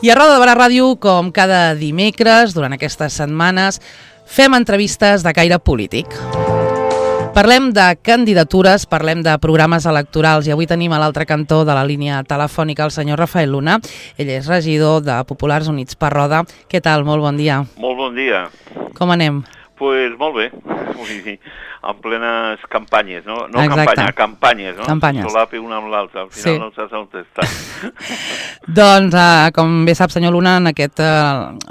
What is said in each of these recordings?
I a Roda de Barà Ràdio, com cada dimecres, durant aquestes setmanes, fem entrevistes de caire polític. Parlem de candidatures, parlem de programes electorals i avui tenim a l'altre cantó de la línia telefònica el senyor Rafael Luna. Ell és regidor de Populars Units per Roda. Què tal? Molt bon dia. Molt bon dia. Com anem? Pues molt bé, vull dir, en plenes campanyes, no? No Exacte. campanyes, no? Campanyes. Solapi una amb l'altra, al final Sí. no saps on estàs. Doncs, com bé sap, senyor Luna, la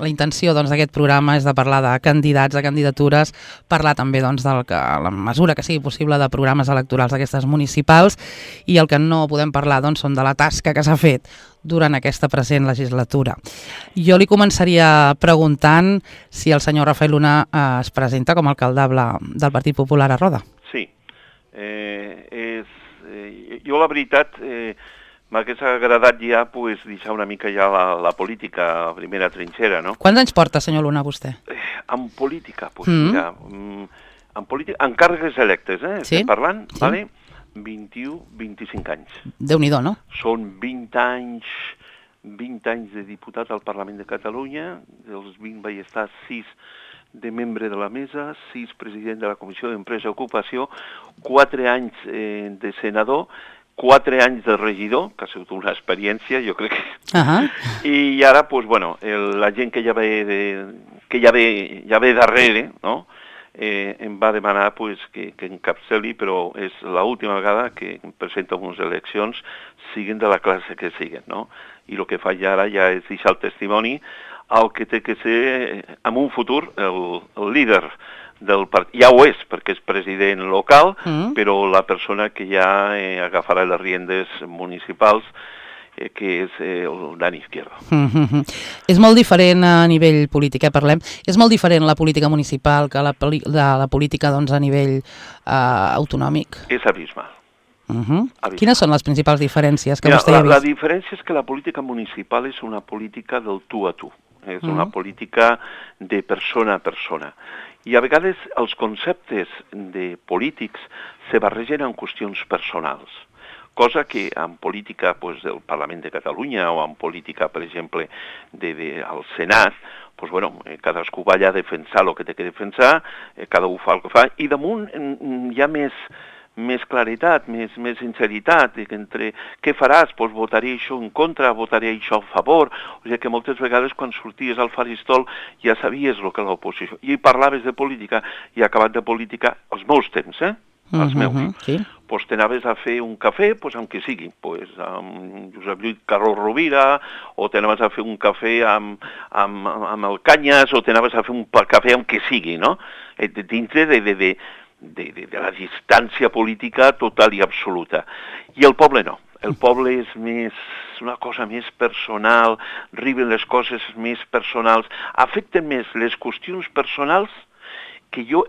intenció d'aquest programa és de parlar de candidats, de candidatures, parlar també la mesura que sigui possible de programes electorals d'aquestes municipals, i el que no podem parlar són de la tasca que s'ha fet durant aquesta present legislatura. Jo li començaria preguntant si el senyor Rafael Luna es presenta com a alcaldable del Partit Popular a Roda. Sí. Jo, la veritat, m'hagués agradat ja deixar una mica ja la política a primera trinxera, no? Quants anys porta, senyor Luna, vostè? En política, mira, en càrregues electes, Sí? estem parlant, Sí. vale? 21-25 anys. Déu-n'hi-do, no? Són 20 anys de diputat al Parlament de Catalunya, dels 20 vaig estar 6 de membre de la mesa, 6 president de la Comissió d'Empresa i Ocupació, 4 anys de senador, 4 anys de regidor, que ha sigut una experiència, jo crec que... I ara, la gent que ja ve darrere, no?, em va demanar que encapçali, però és l'última vegada que em presento a unes eleccions, siguin de la classe que siguin, no? I el que faig ara ja és deixar el testimoni al que té que ser, en un futur, el líder del partit. Ja ho és, perquè és president local, però la persona que ja agafarà les riendes municipals, que és el Dani Izquierdo. És molt diferent a nivell polític, parlem. És molt diferent la política municipal que la política a nivell autonòmic? És abismal. Quines són les principals diferències que vostè ha vist? La diferència és que la política municipal és una política del tu a tu. És una política de persona a persona. I a vegades els conceptes de polítics se barregen en qüestions personals. Cosa que en política del Parlament de Catalunya o en política, per exemple, al Senat, cadascú va allà a defensar el que té que defensar, cada un fa el que fa, i damunt hi ha més claritat, més sinceritat, entre què faràs, votaré això en contra, votaré això a favor, o sigui que moltes vegades quan sorties al faristol ja sabies el que era l'oposició, i parlaves de política, i acabat de política, els meus temps, els meus. Sí. T'anaves a fer un cafè, amb qui sigui, amb Josep Lluís Carró Rovira, o t'anaves a fer un cafè amb el Canyes, o t'anaves a fer un cafè amb qui sigui, no? Dintre de la distància política total i absoluta. I el poble no. El poble és una cosa més personal, arriben les coses més personals, afecten més les qüestions personals que jo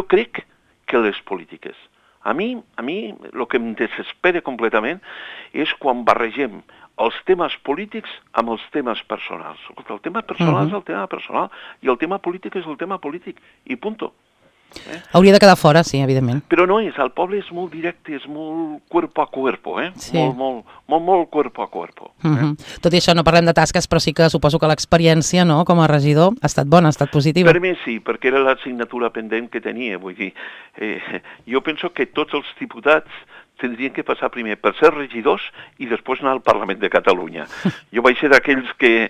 crec que les polítiques. A mi, el que em desespera completament és quan barregem els temes polítics amb els temes personals. El tema personal és el tema personal i el tema polític és el tema polític, i punto. Hauria de quedar fora, sí, evidentment. Però no és, el poble és molt directe, és molt cuerpo a cuerpo, Sí. Molt cuerpo a cuerpo. Tot i això no parlem de tasques, però sí que suposo que l'experiència, no?, com a regidor ha estat bona, ha estat positiva. Per mi sí, perquè era l'assignatura pendent que tenia, vull dir, jo penso que tots els diputats tindrien que passar primer per ser regidors i després anar al Parlament de Catalunya. Jo vaig ser d'aquells que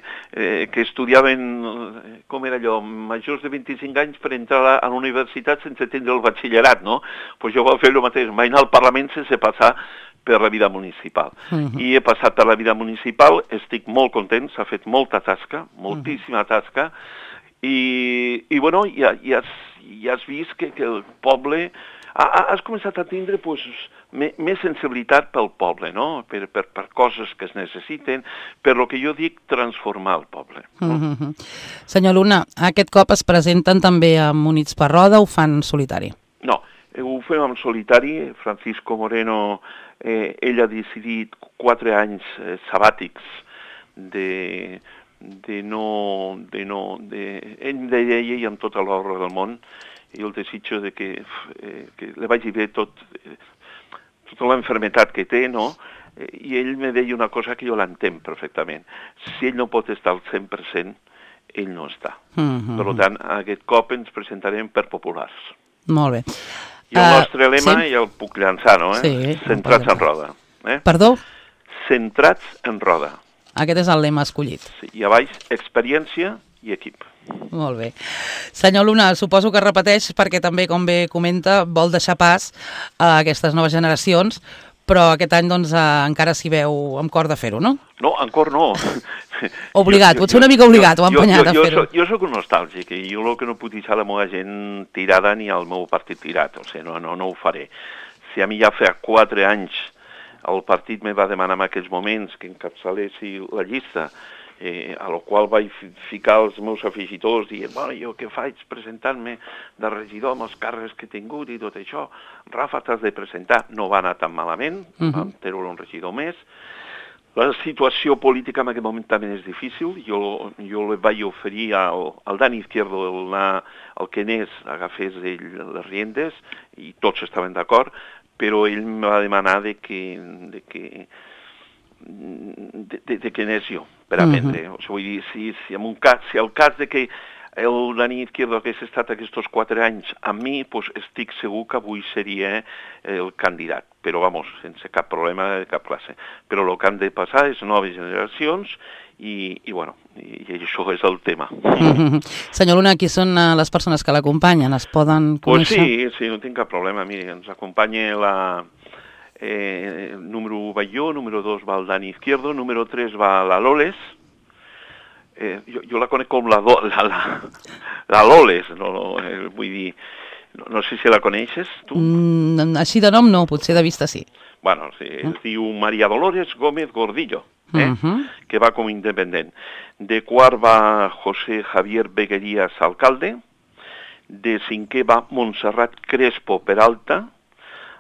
estudiaven, com era allò, majors de 25 anys per entrar a la universitat sense tindre el batxillerat, no? Doncs jo vaig fer el mateix, vaig anar al Parlament sense passar per la vida municipal. I he passat per la vida municipal, estic molt content, s'ha fet molta tasca, moltíssima tasca, i ja has vist que el poble... Has començat a tindre més sensibilitat pel poble, no? Per coses que es necessiten, per lo que jo dic transformar el poble. Senyor Luna, aquest cop es presenten també amb Units per Roda o ho fan solitari? No, ho fem en solitari. Francisco Moreno, ell ha decidit 4 anys sabàtics ell deia i amb tota l'hora del món, i el desitjo de que li vagi bé tota l'enfermetat que té, no? I ell me deia una cosa que jo l'entenc perfectament. Si ell no pot estar al 100%, ell no està. Per tant, aquest cop ens presentarem per populars. Molt bé. I el nostre lema, ja el puc llançar, no? Sí. Centrats en roda. Perdó? Centrats en roda. Aquest és el lema escollit. Sí, i a baix, experiència i equip. Molt bé. Senyor Luna, suposo que repeteix perquè també, com bé comenta, vol deixar pas a aquestes noves generacions, però aquest any doncs, encara s'hi veu amb cor de fer-ho, no? No, encara no. Obligat, potser una mica obligat o empenyat a fer-ho. Jo soc un nostàlgic i jo el que no puc deixar la meva gent tirada ni el meu partit tirat, o sigui, no ho faré. Si a mi ja fa 4 anys el partit me va demanar en aquells moments que encapçalessi la llista, a la qual vaig ficar els meus afegitors dient, bueno, jo què faig presentant-me de regidor amb els càrrecs que he tingut i tot això. Rafa, t'has de presentar. No va anar tan malament, vam treure un regidor més. La situació política en aquest moment també és difícil. Jo li vaig oferir al Dani Izquierdo el que anés, agafés ell les riendes i tots estaven d'acord, però ell em va demanar de que anés jo per aprendre. O sigui, vull dir, si el cas de que el Dani Izquierdo hagués estat aquests 4 anys amb mi, doncs estic segur que avui seria el candidat. Però, vamos, sense cap problema de cap classe. Però el que han de passar és noves generacions i això és el tema. Senyor Luna, qui són les persones que l'acompanyen? Es poden conèixer? Pues sí, no tinc cap problema. Miri, ens acompanya la... número 1 va jo, número 2 va el Dani Izquierdo, número 3 va la Loles. Jo la conec com la Loles, vull dir, no sé si la coneixes, tu? Així de nom no, potser de vista sí. Bueno, sí, es diu María Dolores Gómez Gordillo, que va com independent. De quart va José Javier Beguerías, alcalde. De 5è va Montserrat Crespo Peralta.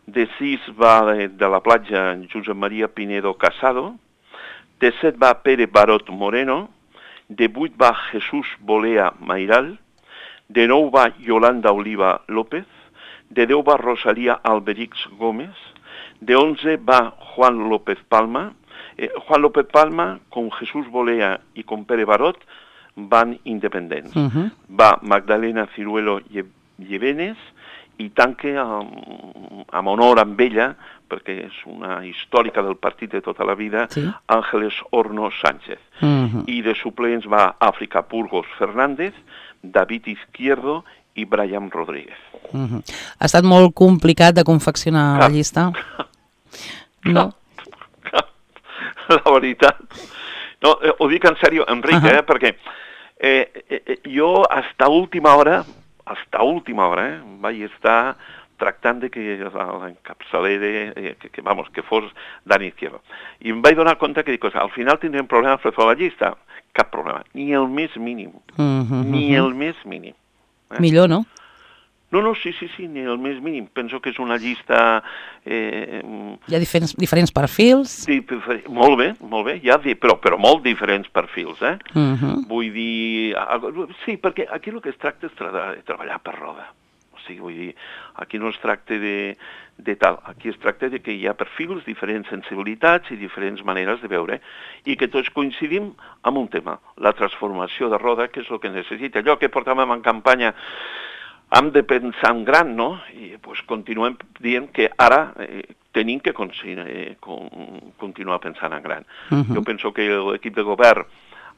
De 6 va de la platja Josep María Pinedo Casado. De 7 va Pere Barot Moreno. De 8 va Jesús Bolea Mairal. De 9 va Yolanda Oliva López. De 10 va Rosalía Alberix Gómez. De 11 va Juan López Palma. Juan López Palma, con Jesús Bolea y con Pere Barot, van independents. Va Magdalena Ciruelo Llevenes i tanque amb honor amb ella, perquè és una històrica del partit de tota la vida, Ángeles Horno Sánchez. I de suplents va Àfrica Burgos Fernández, David Izquierdo i Brian Rodríguez. Ha estat molt complicat de confeccionar la llista? No? La veritat. No, ho dic en sèrio, Enric, perquè jo hasta última hora, vaig estar tractant de que l'encapçaler, que fos Dani Izquierdo. I em vaig donar compte que dic, al final tindrem problemes per fer la llista. Cap problema, ni el més mínim. Ni el més mínim. Millor, no? No, sí, ni el més mínim. Penso que és una llista... Hi ha diferents perfils? Molt bé, però molt diferents perfils, Vull dir... Sí, perquè aquí el que es tracta és de treballar per roda. O sigui, vull dir, aquí no es tracta de tal. Aquí es tracta de que hi ha perfils, diferents sensibilitats i diferents maneres de veure, i que tots coincidim en un tema, la transformació de roda, que és el que necessita. Allò que portàvem en campanya... Hem de pensar en gran, no? I continuem dient que ara tenim que continuar pensant en gran. Jo penso que l'equip de govern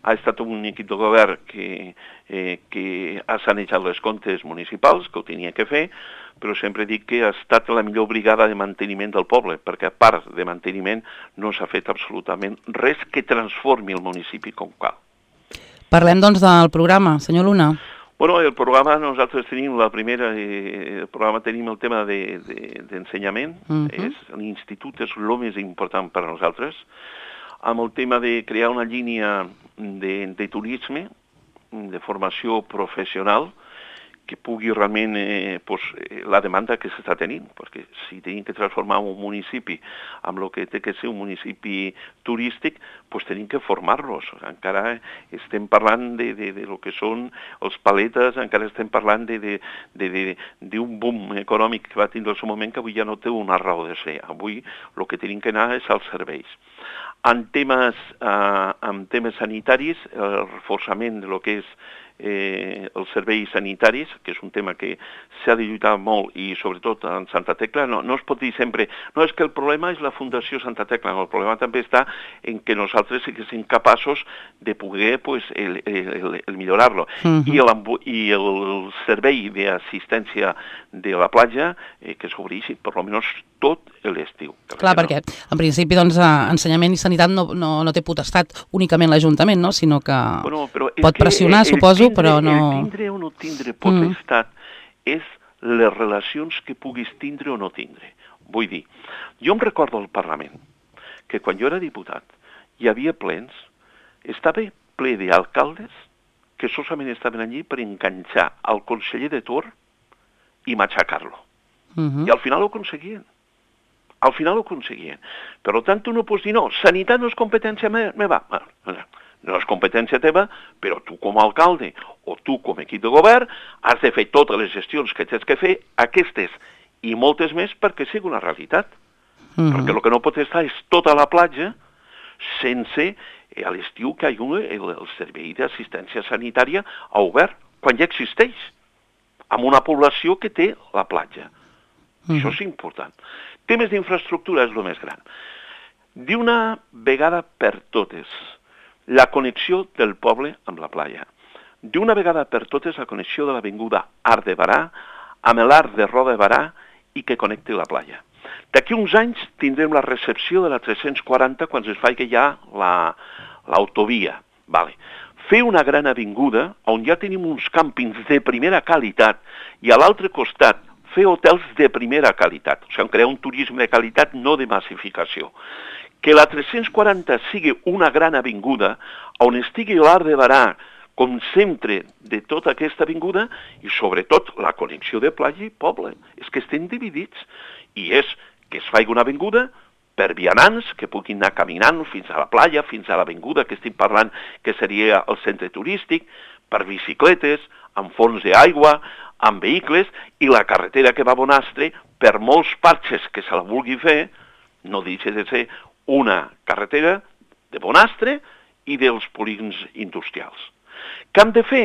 ha estat un equip de govern que ha sanejat les comptes municipals, que ho tenia que fer, però sempre dic que ha estat la millor brigada de manteniment del poble, perquè a part de manteniment no s'ha fet absolutament res que transformi el municipi com cal. Parlem, doncs, del programa, senyor Luna. Bueno, el programa, nosaltres tenim el programa tenim el tema d'ensenyament, l'institut és el més important per a nosaltres, amb el tema de crear una línia de turisme, de formació professional, que pugui realment la demanda que s'està tenint, perquè si tenim que transformar un municipi amb el que té que ser un municipi turístic, doncs tenim que formar-los. Encara estem parlant de lo que són els paletes, encara estem parlant d'un boom econòmic que va tindre en el seu moment que avui ja no té una raó de ser. Avui el que tenim que anar és als serveis. En temes sanitaris, el reforçament de lo que és els serveis sanitaris, que és un tema que s'ha de lluitar molt i sobretot en Santa Tecla, no es pot dir sempre, no és que el problema és la Fundació Santa Tecla, no, el problema també està en que nosaltres siguéssim capaços de poder el millorar-lo. I el servei d'assistència de la platja que s'obreixi per almenys tot l'estiu. Clar, perquè en principi doncs, ensenyament i sanitat no té potestat únicament l'Ajuntament, no? Sinó que pot pressionar, suposo, però no... El tindre o no tindre potestat és les relacions que puguis tindre o no tindre. Vull dir, jo em recordo al Parlament que quan jo era diputat hi havia plens, estava ple d'alcaldes que solament estaven allí per enganxar el conseller de torn i matxacar-lo. I al final ho aconseguien. Al final ho aconseguien. Per tant, tu no pots dir, no, sanitat no és competència meva. No és competència teva, però tu com a alcalde o tu com a equip de govern has de fer totes les gestions que tens que fer, aquestes i moltes més, perquè sigui una realitat. Perquè el que no pot estar és tota la platja sense a l'estiu que hi hagi el servei d'assistència sanitària obert, quan ja existeix, amb una població que té la platja. Això és important. Temes d'infraestructura és el més gran. D'una vegada per totes, la connexió del poble amb la platja. D'una vegada per totes, la connexió de l'avinguda Arc de Barà amb l'Arc de Roda de Barà i que connecti la platja. D'aquí uns anys tindrem la recepció de la 340 quan es faci ja l'autovia. Fer una gran avinguda on ja tenim uns càmpings de primera qualitat i a l'altre costat fer hotels de primera qualitat, o sigui, crear un turisme de qualitat, no de massificació. Que la 340 sigui una gran avinguda on estigui l'Arc de Barà com centre de tota aquesta avinguda i sobretot la connexió de platja i poble. És que estem dividits i és que es faci una avinguda per vianants que puguin anar caminant fins a la platja, fins a l'avinguda que estic parlant que seria el centre turístic, per bicicletes, amb fons d'aigua, amb vehicles, i la carretera que va a Bonastre, per molts parxes que se la vulgui fer, no deixa de ser una carretera de Bonastre i dels polígons industrials. Què hem de fer?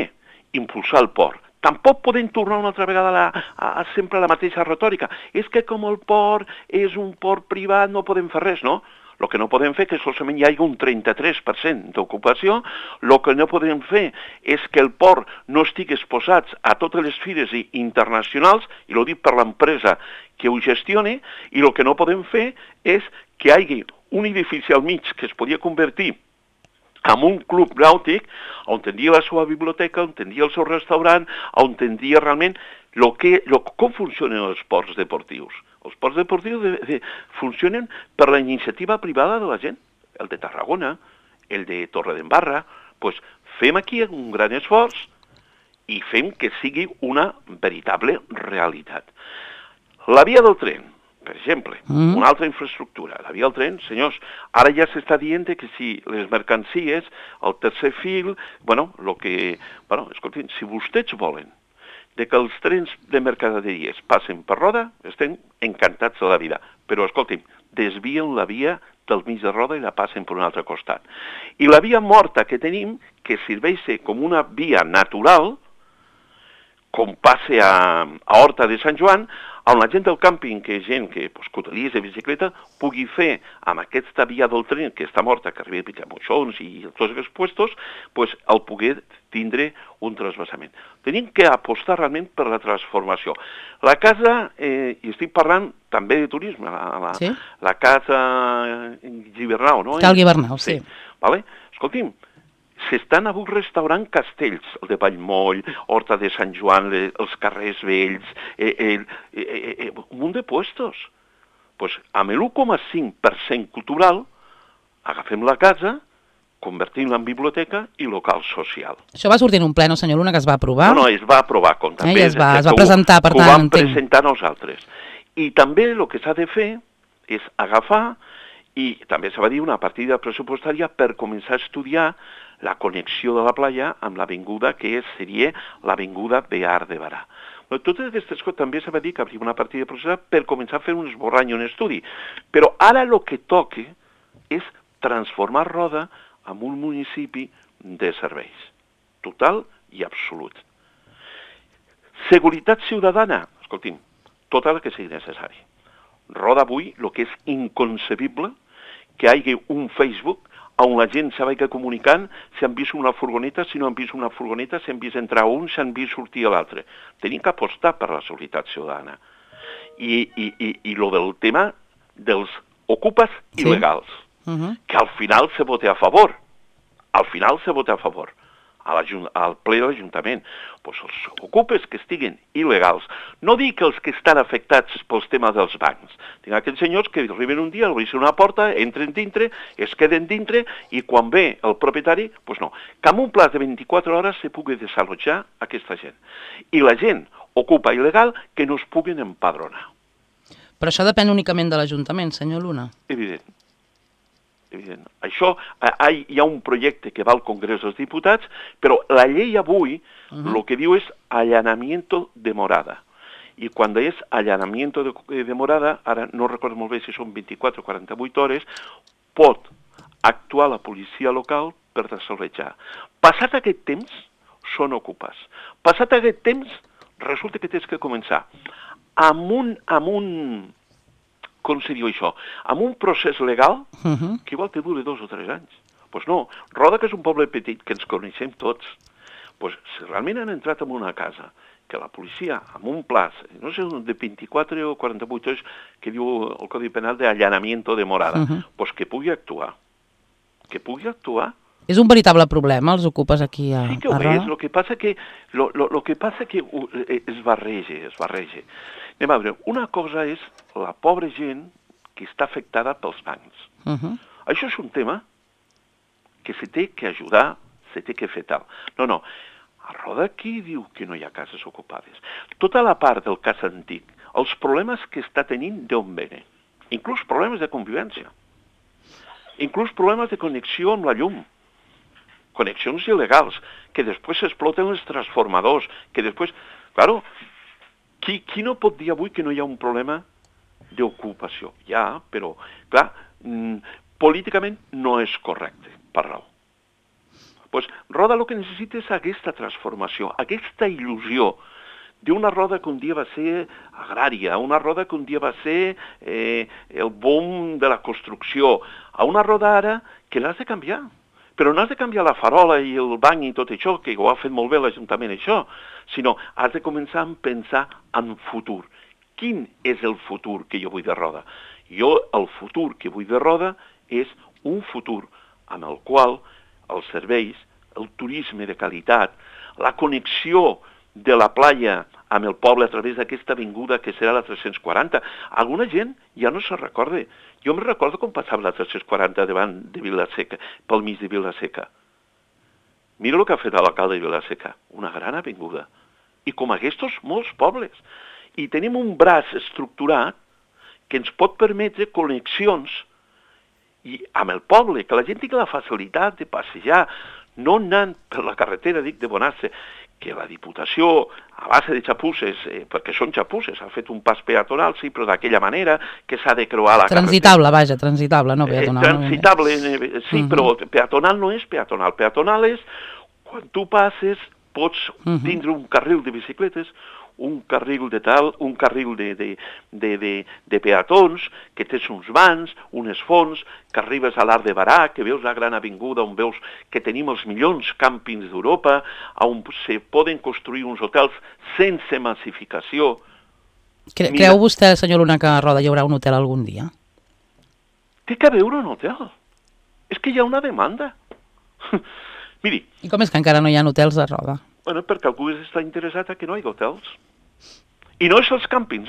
Impulsar el port. Tampoc podem tornar una altra vegada a sempre la mateixa retòrica. És que com el port és un port privat no podem fer res, no? El que no podem fer és que solament hi hagi un 33% d'ocupació. El que no podem fer és que el port no estigui exposat a totes les fires internacionals, i ho dic per l'empresa que ho gestioni, i el que no podem fer és que hi hagi un edifici al mig que es podia convertir en un club nàutic, on tindria la seva biblioteca, on tindria el seu restaurant, on tindria realment com funcionen els ports deportius. Els ports deportius funcionen per la iniciativa privada de la gent, el de Tarragona, el de Torredembarra. Doncs fem aquí un gran esforç i fem que sigui una veritable realitat. La via del tren, per exemple, una altra infraestructura. La via del tren, senyors, ara ja s'està dient que si les mercancies, el tercer fil, escoltin, si vostès volen que els trens de mercaderies passen per Roda, estem encantats de la vida. Però, escolti'm, desvien la via del mig de Roda i la passen per un altre costat. I la via morta que tenim, que serveix com una via natural, com passe a Horta de Sant Joan, on la gent del càmping, que és gent que utiliza de bicicleta, pugui fer amb aquesta via del tren que està morta, que arriba a Picamoixons i tots aquests puestos, el poder tindre un transvasament. Tenim que apostar realment per la transformació. La casa, i estic parlant també de turisme, la casa Gibernau, no? Cal Gibernau, sí. Escolti'm, s'estan avui restaurant castells, el de Vallmoll, Horta de Sant Joan, els carrers vells, un munt de puestos. Doncs amb l'1,5% cultural agafem la casa convertint-la en biblioteca i local social. Això va sortir en un ple, no, senyor Luna, que es va aprovar? No, es va aprovar, com també... Es va presentar, per tant, ho vam presentar nosaltres. I també el que s'ha de fer és agafar, i també se va dir una partida pressupostària per començar a estudiar la connexió de la playa amb l'avinguda que seria l'avinguda Bear de Barà. Totes aquestes coses també se va dir que hi havia una partida pressupostària per començar a fer un esborrany, un estudi. Però ara el que toca és transformar Roda en un municipi de serveis, total i absolut. Seguretat ciutadana, escolti'm, tota la que sigui necessari. Roda avui el que és inconcebible que hi hagi un Facebook on la gent se vagi comunicant si han vist una furgoneta, si no han vist una furgoneta, si han vist entrar un, si han vist sortir l'altre. Tenim que apostar per la seguretat ciutadana. I lo del tema dels ocupes il·legals, que al final se vota a favor. Al final se vota a favor. Al ple de l'Ajuntament. Pues els ocupes que estiguen il·legals. No dic els que estan afectats pels temes dels bancs. Tinc aquells senyors que arriben un dia, obren una porta, entren dintre, es queden dintre i quan ve el propietari, pues no. Que amb un pla de 24 hores se pugui desallotjar aquesta gent. I la gent ocupa il·legal que no es puguin empadronar. Però això depèn únicament de l'Ajuntament, senyor Luna. Evident. Això, hi ha un projecte que va al Congrés dels Diputats, però la llei avui el que diu és allanamiento de morada. I quan és allanamiento de morada, ara no recordo molt bé si són 24 o 48 hores, pot actuar la policia local per desallotjar. Passat aquest temps, són ocupes. Passat aquest temps, resulta que tens que començar amb un com se diu això, amb un procés legal que igual te dure 2 o 3 anys. Doncs no, Roda, que és un poble petit, que ens coneixem tots, doncs si realment han entrat en una casa, que la policia, amb un plaç, no sé, de 24 o 48 hores, que diu el Codi Penal d'allanamiento de morada, doncs que pugui actuar. Que pugui actuar. És un veritable problema, els ocupes aquí a Roda? Sí que ho és, el que passa que es barreja. Anem a veure, una cosa és la pobra gent que està afectada pels bancs. Això és un tema que se té que ajudar, se té que fer tal. No, a Roda qui diu que no hi ha cases ocupades? Tota la part del cas antic, els problemes que està tenint d'on venen, inclús problemes de convivència, inclús problemes de connexió amb la llum, connexions il·legals, que després s'exploten els transformadors, que després... Claro, qui no pot dir avui que no hi ha un problema d'ocupació? Ja, però, clar, políticament no és correcte parlar-ho. Doncs Roda el que necessita és aquesta transformació, aquesta il·lusió d'una Roda que un dia va ser agrària, una Roda que un dia va ser el boom de la construcció, a una Roda ara que l'has de canviar. Però no has de canviar la farola i el banc i tot això, que ho ha fet molt bé l'Ajuntament, això, sinó has de començar a pensar en futur. Quin és el futur que jo vull de Roda? Jo, el futur que vull de Roda és un futur en el qual els serveis, el turisme de qualitat, la connexió de la playa amb el poble a través d'aquesta avinguda que serà la 340. Alguna gent ja no se recorda. Jo me recordo com passava la 340 davant de Vila-seca, pel mig de Vila-seca. Mira el que ha fet l'alcalde de Vila-seca, una gran avinguda. I com aquests, molts pobles. I tenim un braç estructurat que ens pot permetre connexions i amb el poble, que la gent tingui la facilitat de passejar, no anant per la carretera, dic, de Bonastre, que la Diputació, a base de xapusses, perquè són xapusses, ha fet un pas peatonal, sí, però d'aquella manera que s'ha de creuar la transitable, vaja, transitable, no peatonal. Transitable, sí, però peatonal no és peatonal. Peatonal és, quan tu passes, pots tindre un carril de bicicletes, un carril de tal, un carril de peatons, que tens uns vans, unes fonts, que arribes a l'Arc de Barà, que veus la gran avinguda on veus que tenim els millors càmpings d'Europa, on se poden construir uns hotels sense massificació. Creu vostè, senyor Luna, que a Roda hi haurà un hotel algun dia? Té que haver un hotel. És que hi ha una demanda. Miri... I com és que encara no hi ha hotels a Roda? Bueno, perquè algú està interessat que no hi ha hotels. I no és els càmpings,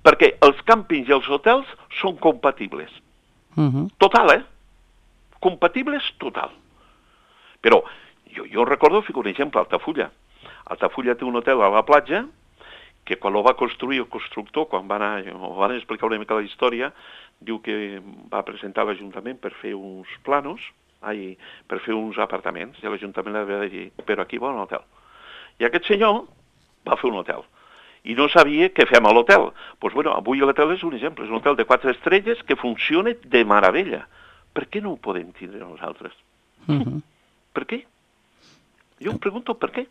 perquè els càmpings i els hotels són compatibles. Total, compatibles total. Però jo recordo, fico un exemple, Altafulla. Altafulla té un hotel a la platja que quan ho va construir el constructor, quan van explicar una mica la història, diu que va presentar a l'Ajuntament per fer uns planos, per fer uns apartaments, i l'Ajuntament li va dir, però aquí va un hotel. I aquest senyor va fer un hotel, i no sabia què fem a l'hotel. Doncs bueno, avui l'hotel és un exemple, és un hotel de 4 estrelles que funciona de meravella. Per què no ho podem tindre nosaltres? Per què? Jo em pregunto per què.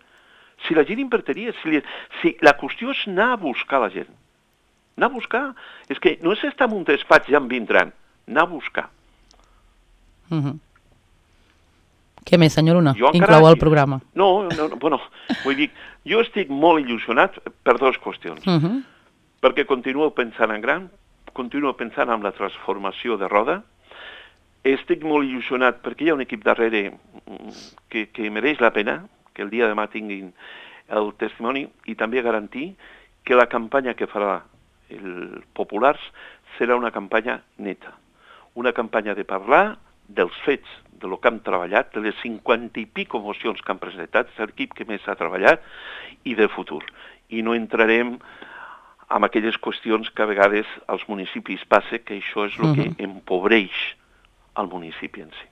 Si la gent invertiria, si la qüestió és anar a buscar la gent. Anar a buscar. És que no és estar en un despatx ja en vindran. Anar a buscar. Què més, senyor Luna? Inclou el programa. No, bueno, vull dir, jo estic molt il·lusionat per 2 qüestions. Perquè continuo pensant en gran, continuo pensant en la transformació de Roda. Estic molt il·lusionat perquè hi ha un equip darrere que mereix la pena, que el dia de demà tinguin el testimoni, i també garantir que la campanya que farà el Populars serà una campanya neta. Una campanya de parlar dels fets, de lo que hem treballat, de les 50 i pico mocions que han presentat, és l'equip que més ha treballat, i del futur. I no entrarem en aquelles qüestions que a vegades als municipis passa, que això és el que empobreix al municipi en si.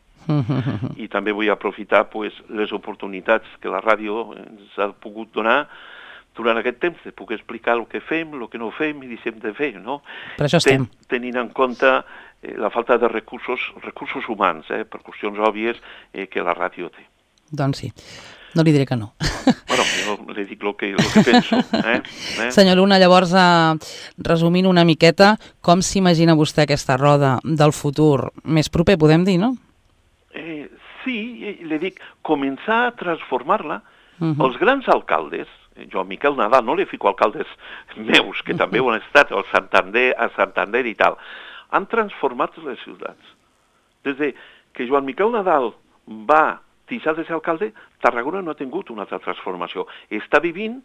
I també vull aprofitar les oportunitats que la ràdio ens ha pogut donar durant aquest temps, de poder explicar el que fem, el que no fem i deixem de fer, no? Per això estem. Tenint en compte la falta de recursos humans, per qüestions òbvies que la ràdio té. Doncs sí, no li diré que no. Bueno, jo li dic el que penso. Senyor Luna, llavors, resumint una miqueta, com s'imagina vostè aquesta roda del futur més proper, podem dir, no? Sí, li dic, començar a transformar-la. Els grans alcaldes, jo a Miquel Nadal no li fico alcaldes meus, que també ho han estat, a Santander i tal, han transformat les ciutats. Des que Joan Miquel Nadal va deixar de ser alcalde, Tarragona no ha tingut una altra transformació. Està vivint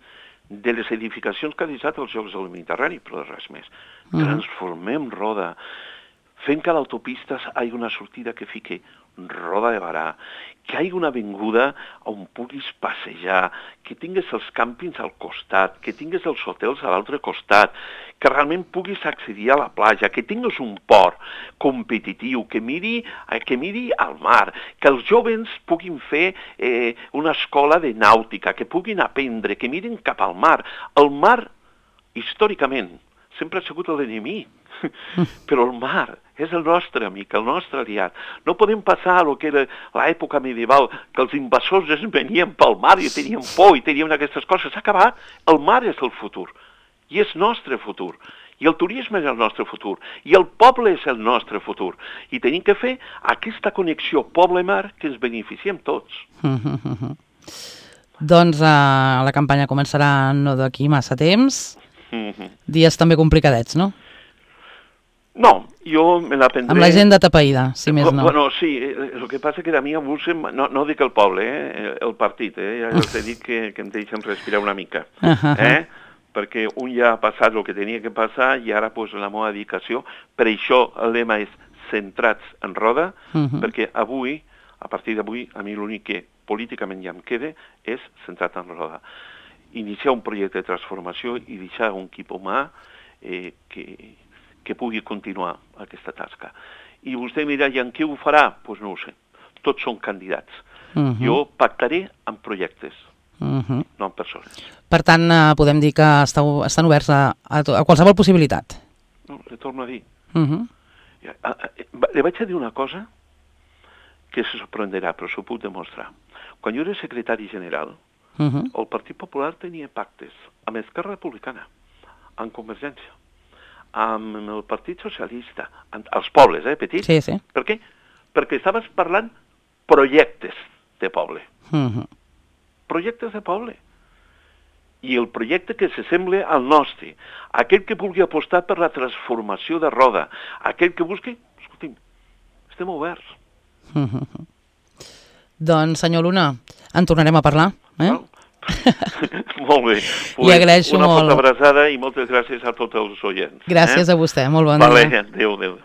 de les edificacions que ha deixat els Jocs del Mediterrani, però de res més. Transformem Roda, fent que a l'autopista hi hagi una sortida que fique Roda de Barà, que hi hagi una avinguda on puguis passejar, que tingues els càmpings al costat, que tingues els hotels a l'altre costat, que realment puguis accedir a la platja, que tingues un port competitiu, que miri al mar, que els joves puguin fer una escola de nàutica, que puguin aprendre, que mirin cap al mar. El mar, històricament, sempre ha sigut l'enemic, però el mar és el nostre amic, el nostre aliat. No podem passar a lo que era l'època medieval, que els invasors es venien pel mar i tenien por i tenien aquestes coses. S'ha acabat. El mar és el futur, i és nostre futur. I el turisme és el nostre futur, i el poble és el nostre futur. I tenim que fer aquesta connexió poble-mar que ens beneficiem tots. Doncs la campanya començarà no d'aquí massa temps. Dies també complicadets, no? No, jo me la prendré... Amb l'agenda tapaïda, si més no. Bueno, sí, el que passa que a mi avui, no dic el poble, el partit, ja els he dit que em deixen respirar una mica, perquè un ja ha passat el que tenia que passar i ara la meva dedicació, per això el lema és centrats en Roda, perquè avui, a partir d'avui, a mi l'únic que políticament ja em queda és centrat en Roda. Iniciar un projecte de transformació i deixar un equip humà que pugui continuar aquesta tasca. I vostè em dirà, i en què ho farà? Doncs no ho sé. Tots són candidats. Jo pactaré amb projectes, no amb persones. Per tant, podem dir que estan oberts a qualsevol possibilitat. No, li torno a dir. Li vaig a dir una cosa que se sorprenderà, però s'ho puc demostrar. Quan jo era secretari general, el Partit Popular tenia pactes amb Esquerra Republicana, amb Convergència, amb el Partit Socialista, als pobles, petits. Sí, sí. Per què? Perquè estaves parlant projectes de poble. Projectes de poble. I el projecte que s'assembla al nostre, aquell que vulgui apostar per la transformació de Roda, aquell que busqui, escolti'm, estem oberts. Doncs, senyor Luna, en tornarem a parlar, Molt bé. Li agraeixo molt. Una forta abraçada i moltes gràcies a tots els oients. Gràcies a vostè, molt bon dia. Adéu.